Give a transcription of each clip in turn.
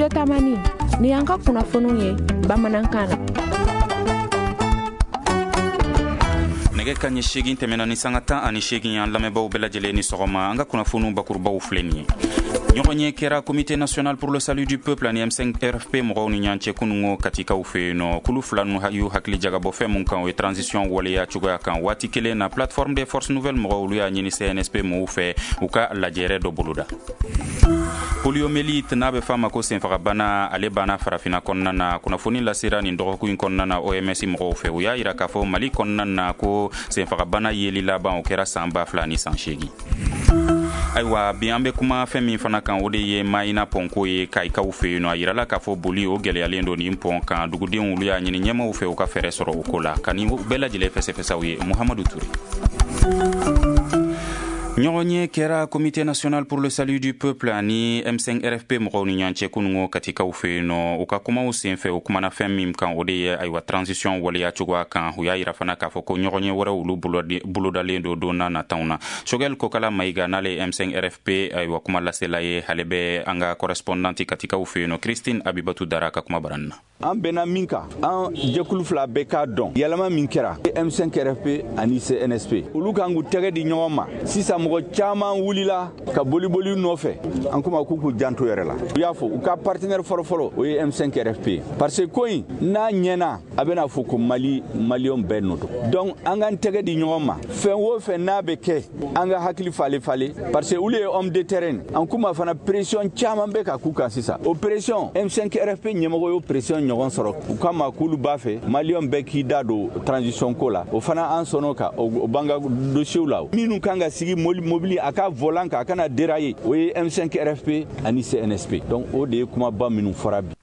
Studio Tamani, ni y'an ka kunnafoniw ye bamanankan na. Nɛgɛ kanɲɛ 8 tɛmɛna ni sanga 18, an lamɛnbaaw bɛɛ lajɛlen ni sɔgɔma. An ka kunnafoniw bakurubaw filɛ nin ye. Ɲɔgɔn ye kɛra Comité national pour le salut du peuple ani M5 RFP mɔgɔw ni ɲɔgɔn cɛ kunungo Katikaw fɛ yen nɔ. Kulu fila ninnu y'u hakili jagabɔ fɛn mun kan, o ye transition waleya cogoya kan. Waati kelen na, plateforme des forces nouvelles mɔgɔw, olu y'a ɲini CNSP mɔgɔw fɛ u ka lajɛrɛ dɔ boloda. Poliomyélite, n'a bɛ f'a ma ko senfagabana, ale banna Farafinna kɔnɔna na. Kunnafoni lasera nin dɔgɔkun in kɔnɔna na OMS mɔgɔw fɛ. U y'a yira k'a fɔ Mali kɔnɔna na ko senfagabana yeli laban, o kɛra san 2008. Ayiwa, bi an bɛ kuma fɛn min fana kan, o de ye Mayina pɔnko ye Kayikaw fɛ yen nɔ. A yirala k'a fɔ boli o gɛlɛyalen don nin pɔn kan. Dugudenw, olu y'a ɲini ɲɛmaw fɛ u ka fɛɛrɛ sɔrɔ o ko la. Ka nin bɛɛ lajɛlen fɛsɛfɛsaw ye, Muhamadu Ture. Ɲɔgɔn ye kɛra Comité national pour le salut du peuple ani M5 RFP mɔgɔw ni ɲɔgɔn cɛ kunungo Katikaw fɛ yen nɔ. U ka kumaw senfɛ, u kumana fɛn min kan, o de ye ayiwa transition waleya cogoya kan. U y'a yira fana k'a fɔ ko ɲɔgɔn ye wɛrɛw, olu bolodalen don don n'a nataw na. Choguel Kokala Mayiga, n'ale ye M5 RFP ayiwa kuma lasela ye, ale bɛ an ka correspondante Katikaw fɛ yen nɔ, Christine Abibatu Dara ka kuma barani na. An bɛnna min kan, an jɛkulu fila bɛɛ k'a dɔn yɛlɛma min kɛra M5 RFP ani CNSP, olu kan k'u tɛgɛ di ɲɔgɔn ma. Sisan mɔgɔ caman wulila ka boliboli nɔfɛ. An kuma k'u k'u janto yɛrɛ la. U y'a fɔ u ka partenaire fɔlɔfɔlɔ, o ye M5 RFP, parce que ko in n'a ɲɛna, a bɛna fɔ ko Mali maliyɛnw bɛɛ nɔ don. Donc an k'an tɛgɛ di ɲɔgɔn ma, fɛn o fɛn n'a bɛ kɛ, an ka hakili falen falen, parce que olu ye homme de terrain. An kuma fana, pression caman bɛ ka k'u kan sisan. O pression, M5 RFP ɲɛmɔgɔ y'o pression ɲɔgɔn sɔrɔ. U kama k'olu b'a fɛ maliyɛnw bɛɛ k'i da don transition ko la. O fana, an sɔnn'o kan. O b'an ka dossier la. Minnu kan ka sigi mobili a ka volant kan, a kana dérailler, o ye M5 RFP ani CNSP. Donc o de ye kumaba minnu fɔra bi.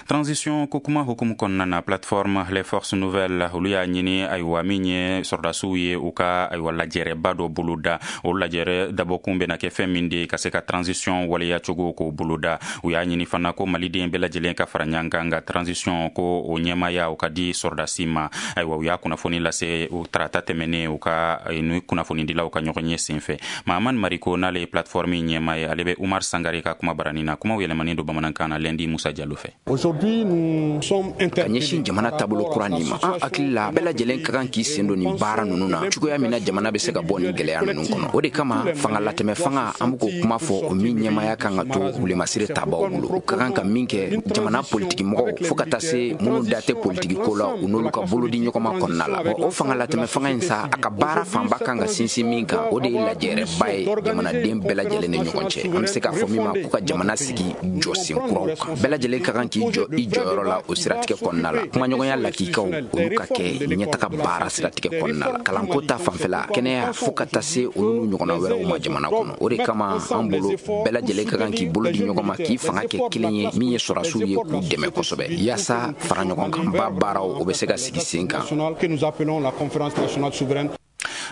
Transition ko kuma hukumu kɔnɔna na, plateforme les forces nouvelles, olu y'a ɲini ayiwa min ye sɔrɔdasiw ye, u ka ayiwa lajɛrɛba dɔ boloda. O lajɛrɛ dabɔkun bɛna kɛ fɛn min de ye, ka se ka transition waleya cogo k'o boloda. U y'a ɲini fana ko maliden bɛɛ lajɛlen ka fara ɲɔgɔn kan, nka transition ko o ɲɛmaya, o ka di sɔrɔdasi ma. Ayiwa, u y'a kunnafoni lase o tarata tɛmɛnen, u ka ni kunnafonidilaw ka ɲɔgɔn ye senfɛ. Mahamani Mariko, n'ale ye plateforme ɲɛma ye, ale bɛ Umar Sangare ka kuma barani na. Kumaw yɛlɛmanen don bamanankan na Lɛndi Musa Jalo fɛ. Ka ɲɛsin jamana taabolo kura nin ma, an hakili la, bɛɛ lajɛlen ka kan k'i sen don nin baara ninnu na cogoya min na jamana bɛ se ka bɔ nin gɛlɛya ninnu kɔnɔ. O de kama, fangalatɛmɛ fanga, an be k'o kuma fɔ, o min ɲɛmaya kan ka to wulemasiri tabaw bolo. U ka kan ka min kɛ, jamana politikimɔgɔw fɔɔ ka taa se minnu da tɛ politiki ko la, u n'olu ka bolo di ɲɔgɔn ma kɔnɔna la. O fangalatɛmɛ fanga in sa, a ka baara fanba kan ka sinsin min kan, o de ye lajɛrɛba ye jamanaden bɛɛ lajɛlen ni ɲɔgɔn cɛ, an be se k'a fɔ min ma ko ka jamana sigi jɔsen kuraw kan. Bɛɛ lajɛlen ka kan k'i jɔ i jɔyɔrɔ la o siratigɛ kɔnɔna la. Kumaɲɔgɔnya lakikaw, olu ka kɛ ɲɛtaga baara siratigɛ kɔnɔna la, kalanko ta fanfɛla, kɛnɛya, fɔɔ ka taa se olu n'u ɲɔgɔnna wɛrɛw ma jamana kɔnɔ. O de kama, an bolo, bɛɛ lajɛlen ka kan k'i bolo di ɲɔgɔn ma, k'i fanga kɛ kelen ye, min ye sɔrɔdasiw ye, k'u dɛmɛ kosɛbɛ, yaasa fara ɲɔgɔn kan ba baaraw, o bɛ se ka sigi sen kan.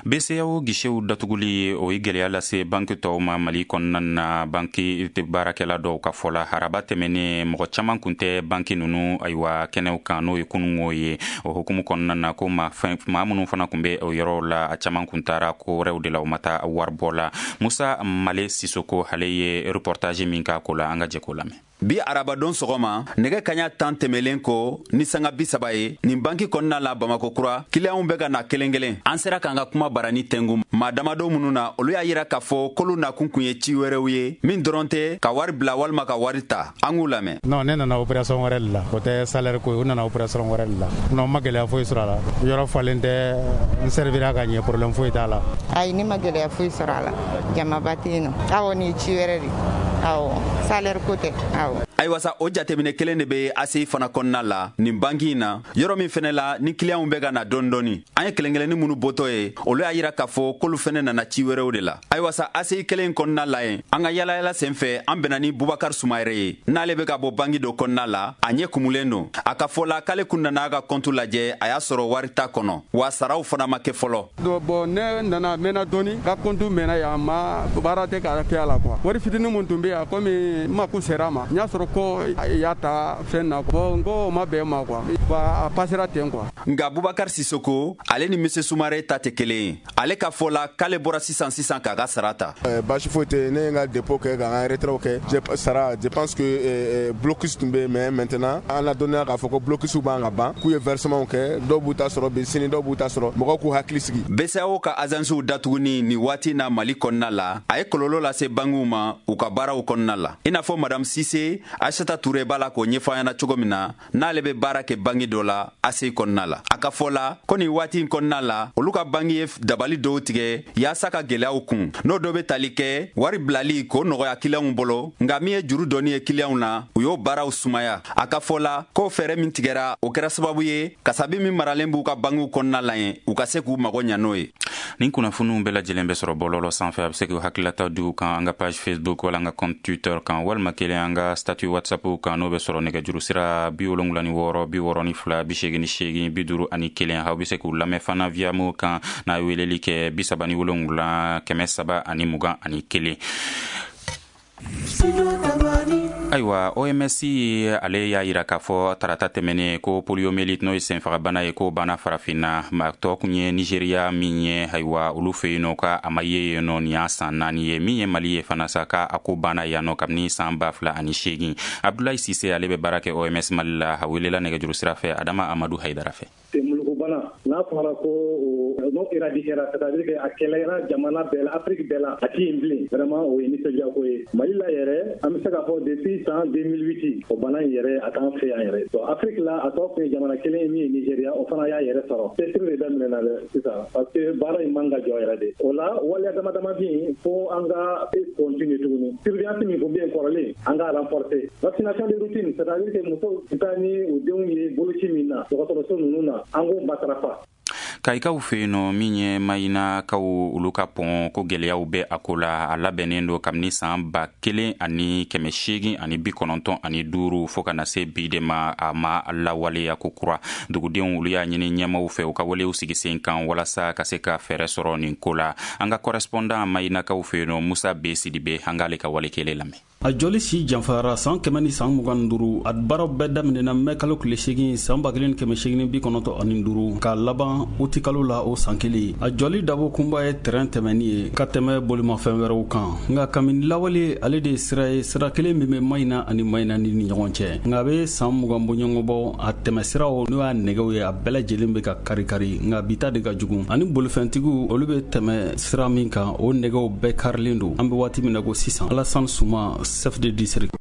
BCEAO guichetw datuguli, o ye gɛlɛya lase banki tɔw ma Mali kɔnɔna na. Banki baarakɛla dɔw ka fɔ la, haraba tɛmɛnen, mɔgɔ caman kun tɛ banki ninnu ayiwa kɛnɛw kan, n'o ye kunungo ye. O hukumu kɔnɔna na, ko maa minnu fana kun bɛ o yɔrɔw la, a caman kun taara ko wɛrɛw de la, u ma taa waribɔ la. Musa Male Sisoko, ale ye reportage min k'a ko la, an ka jɛ k'o lamɛn. Bi arabadon sɔgɔma, nɛgɛ kaɲa 10 tɛmɛlen ko ni sanga 30 ye, nin banki kɔnɔna la Bamako kura, kiliyanw bɛ ka na kelen kelen. An sera k'an ka kuma barani tɛngu maa damadɔ minnu na, olu y'a yira k'a fɔ k'olu nakun kun ye ci wɛrɛw ye min dɔrɔn tɛ ka wari bila walima ka wari ta. An k'u lamɛn. Non, ne nana opération wɛrɛ de la, o tɛ salaire ko ye. U nana opération wɛrɛ de la. Non, n ma gɛlɛya foyi sɔrɔ a la. Yɔrɔ falen tɛ, n servira ka ɲɛ, problème foyi t'a la. Ayi, ne ma gɛlɛya foyi sɔrɔ a la. Jamaba tɛ yen nɔ. Awɔ, nin ye ci wɛrɛ de. Awɔ, salaire ko tɛ, awɔ. Ayiwa sa, o jateminɛ kelen de be ACI fana kɔnɔna la nin banki in na, yɔrɔ min fɛnɛ la ni kiliyanw bɛ ka na dɔɔni dɔɔni. An ye kelen kelenni minnu bɔtɔ ye, olu y'a yira k'a fɔ k'olu fɛnɛ nana ci wɛrɛw de la. Ayiwa sa, ACI kelen kɔnɔna la yen, an ka yalayala sen fɛ, an bɛnna ni Bubakar Sumayɛrɛ ye, n'ale bɛ ka bɔ banki dɔ kɔnɔna la. A ɲɛ kumulen don. A ka fɔ la k'ale kun nana a ka kɔntu lajɛ, a y'a sɔrɔ wari t'a kɔnɔ, wa saraw fana ma kɛ fɔlɔ. Bon, ne nana mɛnna dɔɔni, ka kɔntu mɛnna yan, ma baara tɛ ka kɛ a la quoi. Wari fitinin mun tun bɛ yan, komi n mako sera a ma, n y'a sɔrɔ. ko i y'a ta fɛn na. Bon, n ko o ma bɛn ma quoi. A passera ten quoi. Nka Bubakar Sisoko, ale ni Monsieur Sumare ta tɛ kelen ye. Ale ka fɔ la k'ale bɔra sisan sisan k'a ka sara ta. Baasi foyi tɛ, ne ye n ka dépôt kɛ ka n ka retrait kɛ sara. Je pense que blocus tun bɛ yen, mais maintenant an ladɔnniya k'a fɔ ko blocus b'an ka ban, k'u ye versement kɛ, dɔw b'u ta sɔrɔ bi, sini dɔw b'u ta sɔrɔ, mɔgɔw k'u hakili sigi. BCEAO ka agences datuguni nin waati na Mali kɔnɔna la, a ye kɔlɔlɔ lase bankiw ma u ka baaraw kɔnɔna la. I n'a fɔ Madame Sise Aïssata Touré b'a la k'o ɲɛfɔ an ɲɛna cogo min na, n'ale bɛ baara kɛ banki dɔ la ACI kɔnɔna la. A ka fɔ la ko nin waati in kɔnɔna la, olu ka banki ye dabali dɔw tigɛ yaasa ka gɛlɛyaw kun, n'o dɔ bɛ tali kɛ wari bilali k'o nɔgɔya kiliyanw bolo, nka min ye juru dɔnni ye kiliyanw na, u y'o baaraw sumaya. A ka fɔ la k'o fɛɛrɛ min tigɛra, o kɛra sababu ye kasabi min maralen b'u ka bankiw kɔnɔna la yen, u ka se k'u mago ɲa n'o ye. Nin kunnafoniw bɛɛ lajɛlen bɛ sɔrɔ bɔlɔlɔ sanfɛ. A bɛ se k'u hakililata di u kan an ka page Facebook wala an ka compte Twitter kan, walima kelen an ka statut WhatsApp kan, n'o bɛ sɔrɔ nɛgɛjuru sira 76 62 88 51. Aw bɛ se k'u lamɛn fana via mo kan n'a ye weleli kɛ 37 321. Ayiwa, OMS ale y'a yira k'a fɔ tarata tɛmɛnen ko poliomyélite, n'o ye senfagabana ye, k'o banna Farafinna. Ma tɔ kun ye Nigeriya min ye, ayiwa, olu fɛ yen nɔ ka a ma ye yen nɔ nin y'a san 4 ye. Min ye Mali ye fana sa, k'a a ko banna yan nɔ kabini san 2008. Abdulayi Sise, ale bɛ baara kɛ OMS Mali la, a welela nɛgɛjuru sira fɛ Adama Amadu Hayidara fɛ. Bana n'a fɔra ko n'o éradiquera, c'est-à-dire que a kɛlɛra jamana bɛɛ la, Afrique bɛɛ la, a ti yen bilen, vraiment o ye nisɔndiya ko ye. Mali la yɛrɛ, an bɛ se k'a fɔ depuis san 2008, o bana in yɛrɛ a t'an fɛ yan yɛrɛ. Donc Afrique la, a tɔ kun ye jamana kelen ye min ye Nigéria, o fana y'a yɛrɛ sɔrɔ. Cɛsiri de daminɛna dɛ sisan, parce que baara in man ka jɔ yɛrɛ de. O la waleya dama dama bɛ yen fo an ka continuer tuguni. Surveillance min kun bɛ yen kɔrɔlen, an ka renforcer. Vaccination de routine, c'est-à-dire que musow bɛ taa ni u denw ye boloci min na dɔgɔtɔrɔso ninnu na, an k'o matarafa. Kayikaw fɛ yen nɔ, min ye Mayinakaw olu ka pɔn ko gɛlɛyaw bɛ a ko la. A labɛnnen don kabini san 1895 fo ka na se bi de ma, a ma lawaleya ko kura. Dugudenw olu y'a ɲini ɲɛmaw fɛ u ka walew sigi sen kan walasa ka se ka fɛɛrɛ sɔrɔ nin ko la. An ka correspondant Mayinakaw fɛ yen nɔ, Musa B Sidibe, an k'ale ka wale kelen lamɛn. A jɔli si janfara san 125. A baaraw bɛɛ daminɛna mɛ kalo tile 8 san 1895 k'a laban utikalo la o san kelen. A jɔli dabo kunba ye tɛrɛn tɛmɛni ye ka tɛmɛ bolimafɛn wɛrɛw kan, nka kabini lawale ale de ye sira ye, sira kelen min bɛ Mayina ani Mayina ni ɲɔgɔn cɛ. Nka a bɛ san 20 bɔɲɔgɔn bɔ, a tɛmɛ siraw n'o y'a nɛgɛw ye, a bɛɛ lajɛlen bɛ ka kari-kari, nka bi ta de ka jugu. Ani bolifɛntigiw olu bɛ tɛmɛ sira min kan, o nɛgɛw bɛɛ karilen don. An bɛ waati min na ko sisan, Alassane Suma, chef de district.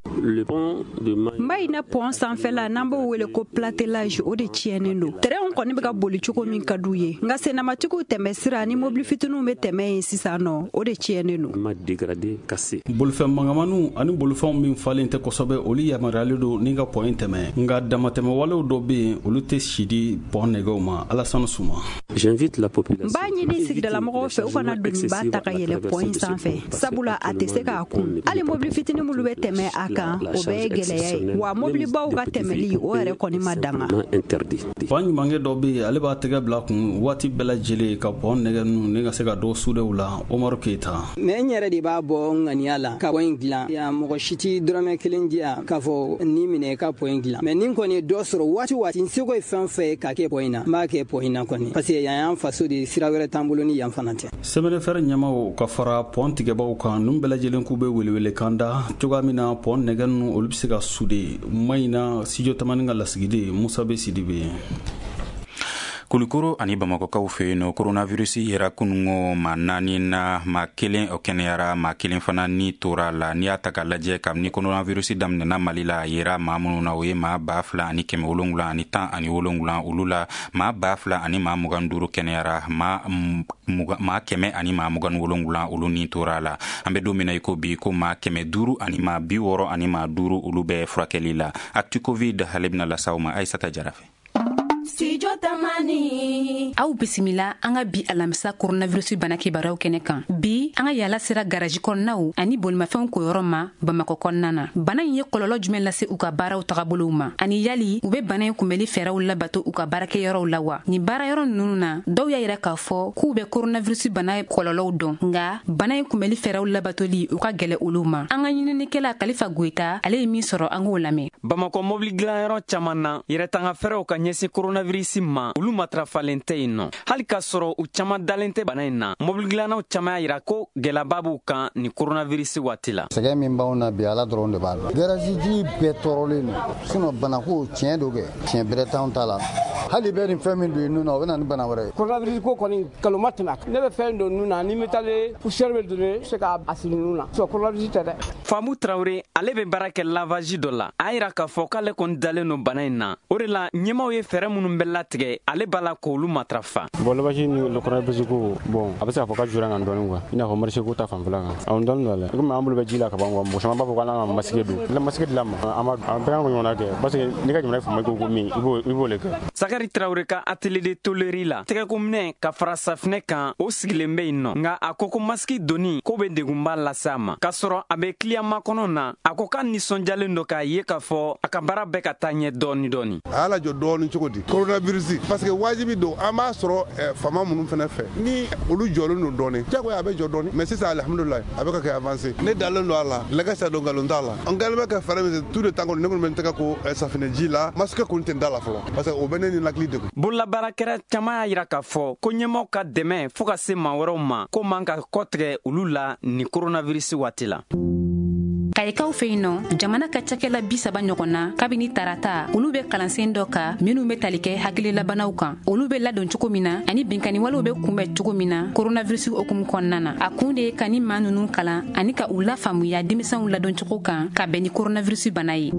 Mayina pɔn sanfɛla, n'an b'o wele ko platelage, o de tiɲɛnen don. Tɛrɛnw kɔni bɛ ka boli cogo min ka d'u ye, nka sennamatigiw tɛmɛ sira ni mobili fitininw bɛ tɛmɛ yen sisan nɔ, o de tiɲɛnen don. Bolifɛn mangamaniw ani bolifɛnw min falen tɛ kosɛbɛ, olu yamaruyalen don ni ka pɔn in tɛmɛ, nka damatɛmɛwalew dɔ bɛ yen, olu tɛ si di pɔn nɛgɛw ma. Alassane Suma. N b'a ɲini sigidalamɔgɔw fɛ u kana doniba ta ka yɛlɛ pɔn in sanfɛ, sabula a tɛ se k'a kun. Hali mobili fitinin minnu bɛ tɛmɛ a kan, o bɛɛ ye gɛlɛya ye, wa mobilibaw ka tɛmɛli o yɛrɛ kɔni ma danga. Fa ɲumankɛ dɔ bɛ yen, ale b'a tɛgɛ bila kun waati bɛɛ lajɛlen ka pɔn nɛgɛ ninnu ni ka se ka dɔ sudew la. Umaru Keyita. Mɛ n yɛrɛ de b'a bɔ n ŋaniya la ka pɔn in dilan yan, mɔgɔ si tɛ dɔrɔmɛ kelen di yan k'a fɔ ni minɛ ka pɔn in dilan. Mɛ ni kɔni ye dɔ sɔrɔ waati waati, n seko ye fɛn fɛn ye ka kɛ pɔn in na, n b'a kɛ pɔn in na kɔni, parce que yan y'an faso de, sira wɛrɛ t'an bolo ni yan fana tɛ. Sɛbɛnnifɛrɛ ɲɛmaw ka fara pɔn tigɛbaw kan, ninnu bɛɛ lajɛlen k'u bɛ welewelekan da cogoya min na pɔn nɛgɛ ninnu olu bɛ se ka sude. Mayina Studio Tamani ka lasigiden Musa B Sidibe. Kulukoro ani Bamakɔkaw fɛ yen nɔ, coronavirus yera kunungo maa 4 na, maa 1 o kɛnɛyara, maa 1 fana ni tora la. N'i y'a ta k'a lajɛ, kabini coronavirus daminɛna Mali la, a yera maa minnu na, o ye maa 2717, olu la maa 2025 kɛnɛyara, maa 127 olu ni tora la. An bɛ don min na i ko bi, ko maa 565 olu bɛ furakɛli la. Actu Covid ale bɛna las'aw ma Ayisata Jara fɛ. Studio Tamani. Aw bisimila an ka bi alamisa coronavirus bana kibaruyaw kɛnɛ kan. Bi an ka yala sera garaji kɔnɔnaw ani bolimafɛnw koyɔrɔ ma Bamakɔ kɔnɔna na. Bana in ye kɔlɔlɔ jumɛn lase u ka baaraw tagabolow ma? Ani yali u bɛ bana in kunbɛli fɛɛrɛw labato u ka baarakɛyɔrɔw la wa? Nin baarayɔrɔ ninnu na, dɔw y'a yira k'a fɔ k'u bɛ coronavirus bana kɔlɔlɔw dɔn, nka bana in kunbɛli fɛɛrɛw labatoli u ka gɛlɛ olu ma. An ka ɲininikɛla Kalifa Goyita, ale ye min sɔrɔ, an k'o lamɛn. Bamakɔ mobili dilanyɔrɔ caman na, yɛrɛtanga fɛɛrɛw ka ɲɛsin coronavirus ma, olu matarafalen tɛ yen nɔ. Hali k'a sɔrɔ u caman dalen tɛ bana in na, mobili dilannaw caman y'a yira ko gɛlɛyaba b'u kan ni coronavirus waati la. Sɛgɛn min b'anw na bi, Ala dɔrɔn de b'a dɔn. Garage bɛɛ tɔɔrɔlen don, sinon banako tiɲɛ do kɛ, tiɲɛ bɛrɛ t'anw ta la. Hali bɛ nin fɛn min don i nun na, o bɛ na ni bana wɛrɛ ye. Coronavirus ko kɔni nkalon ma tɛmɛ a kan. Ne bɛ fɛn don nun na, ni bɛ taalen poussière bɛ don, se k'a siri nun na. Coronavirus tɛ dɛ. Famu Tarawele, ale bɛ baara kɛ lavage dɔ la. A yira k'a fɔ k'ale kɔni dalen don bana in na. O de la, ɲɛmaaw ye fɛɛrɛ minnu bɛ latigɛ, ale b'a la k'olu matarafa. Bon, lavage ni le coronavirus ko, bon, a bɛ se k'a fɔ ka jura kan dɔɔni quoi. I n'a fɔ marché ko ta fanfɛla kan. Awɔ, dɔɔni don a la. Komi an bolo bɛ ji la ka ban quoi, mɔgɔ caman b'a fɔ k'an ka masque don. La masque dilan ma, an b'a an bɛɛ kan k'o ɲɔgɔnna kɛ parce que n'i ka jamana ye faama ko min, i b'o le kɛ. Sakari Tarawele ka atelier de tôlerie la, tɛgɛkominɛ ka fara safinɛ kan, o sigilen bɛ yen nɔ. Nka a ko ko masque donni ko bɛ degunba lase a ma. K'a sɔrɔ a bɛ client makɔnɔ na, a ko k'a nisɔndiyalen don k'a ye k'a fɔ a ka baara bɛɛ ka taa ɲɛ dɔɔni dɔɔni. A y'a lajɔ dɔɔni cogo di coronavirus, parce que wajibi don, an b'a sɔrɔ faama minnu fana fɛ, ni olu jɔlen don dɔɔni, jagoya a bɛ jɔ dɔɔni, mais sisan alhamdulilayi a bɛ ka kɛ avancé. Ne dalen don a la, lɛgɛ don nkalon t'a la. An kɛlen bɛ ka fɛɛrɛ min tout le temps kɔni, ne kɔni bɛ n tɛgɛ ko safinɛji la, masque kɔni tɛ n da la fɔlɔ, parce que o bɛ ne ni hakili degun. Bololabaarakɛla caman y'a yira k'a fɔ ko ɲɛmaaw ka dɛmɛ fo ka se maa wɛrɛw ma, ko man ka kɔtigɛ olu la ni coronavirus waati la. Kayikaw fɛ yen nɔ, jamana ka cakɛla 30 ɲɔgɔn na kabini tarata, olu bɛ kalansen dɔ kan minnu bɛ tali kɛ hakililabanaw kan, olu bɛ ladon cogo min na ani binkanniwalew bɛ kunbɛn cogo min na coronavirus hukumu kɔnɔna na. A kun de ye ka ni maa ninnu kalan ani ka u lafaamuya denmisɛnw ladon cogo kan ka bɛn ni coronavirus bana ye.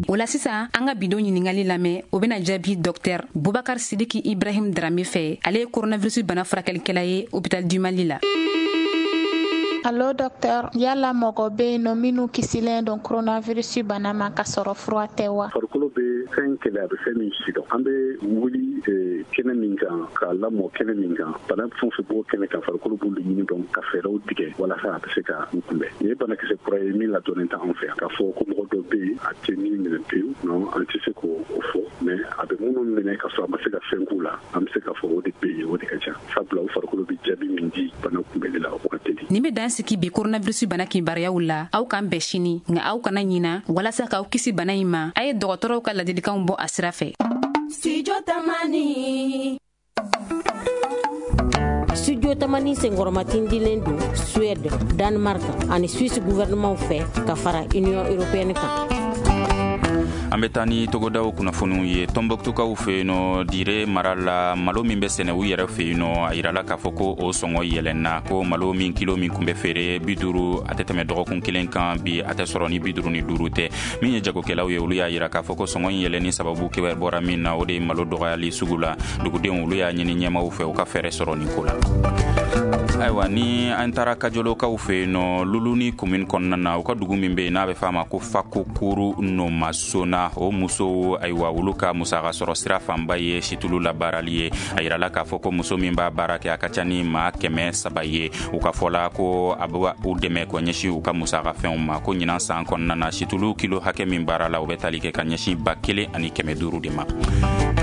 O la sisan, an ka bidon ɲininkali lamɛn, o bɛna jaabi Dr Bubakar Sidiki Ibrahim Darame fɛ. Ale ye coronavirus bana furakɛlikɛla ye hôpital du Mali la. Allo docteur, yala mɔgɔ bɛ yen nɔ minnu kisilen don coronavirus bana ma ka sɔrɔ fura tɛ wa? Farikolo bɛ fɛn kɛlɛ, a bɛ fɛn min sidɔn. An bɛ wuli kɛnɛ min kan, k'a lamɔ kɛnɛ min kan, bana fɛn fɛn b'o kɛnɛ kan, farikolo b'olu ɲini dɔn ka fɛɛrɛw tigɛ walasa a bɛ se ka u kunbɛn. Nin ye banakisɛ kura ye min ladɔnnen tɛ anw fɛ yan. K'a fɔ ko mɔgɔ dɔ bɛ yen a tɛ min minɛ pewu, non, an tɛ se k'o fɔ, mais a bɛ minnu minɛ ka sɔrɔ a ma se ka fɛn k'u la, an bɛ se k'a fɔ o de bɛ yen, o de ka ca. Sabula u farikolo bɛ jaabi min di bana kunbɛnli la, o ka teli. Nin bɛ dan sigi bi coronavirus bana kibaruyaw la. Aw k'an bɛn sini, nka aw kana ɲina, walasa k'aw kisi bana in ma, a ye dɔgɔtɔrɔw ka ladilikanw bɔ a sira fɛ. Studio Tamani. Studio Tamani senkɔrɔmatindilen don Suède, Danemark ani Suisse gouvernement fɛ ka fara Union européenne kan. An bɛ taa ni togodaw kunnafoniw ye. Tɔnbɔkutukaw fɛ yen nɔ, Dire mara la, malo min bɛ sɛnɛ u yɛrɛ fɛ yen nɔ, a yirala k'a fɔ ko o sɔngɔ yɛlɛnna, ko malo min kilo min kun bɛ feere 50, a tɛ tɛmɛ dɔgɔkun kelen kan, bi a tɛ sɔrɔ ni 55 tɛ. Min ye jagokɛlaw ye, olu y'a yira k'a fɔ ko sɔngɔ in yɛlɛnni sababu kɛ bɔra min na, o de ye malo dɔgɔyali sugu la. Dugudenw, olu y'a ɲini ɲɛmaaw fɛ u ka fɛɛrɛ sɔrɔ nin ko la. Ayiwa, ni an taara Kajolokaw fɛ yen nɔ, Luluni commune kɔnɔna na, u ka dugu min bɛ yen n'a bɛ f'a ma ko Fakokuru Nomasona, o musow, ayiwa, olu ka musaka sɔrɔ sira fanba ye situlu labaarali ye. A yirala k'a fɔ ko muso min b'a baara kɛ, a ka ca ni maa 300 ye. U ka fɔ la ko a bɛ u dɛmɛ ka ɲɛsin u ka musaka fɛnw ma, ko ɲinan san kɔnɔna na, situlu kilo hakɛ min baara la, o bɛ tali kɛ ka ɲɛsin 1500 de ma.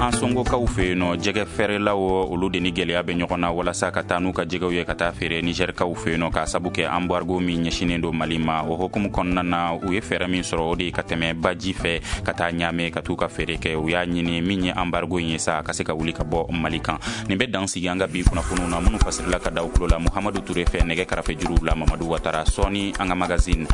An Songokaw fɛ yen nɔ, jɛgɛ fɛrɛlaw, olu de ni gɛlɛya bɛ ɲɔgɔn na walasa ka taa n'u ka jɛgɛw ye ka taa feere Nizɛrikaw fɛ yen nɔ, k'a sabu kɛ embargo min ɲɛsinnen don Mali ma. O hukumu kɔnɔna na, u ye fɛɛrɛ min sɔrɔ, o de ye ka tɛmɛ baji fɛ ka taa Ɲame ka t'u ka feere kɛ. U y'a ɲini min ye embargo in ye sa, ka se ka wuli ka bɔ Mali kan. Nin bɛ dan sigi an ka bi kunnafoniw na minnu fasirila ka da u tulo la Muhamadu Ture fɛ, nɛgɛ karafe juruw la Mamadu Watara. Sɔɔni an ka magazine.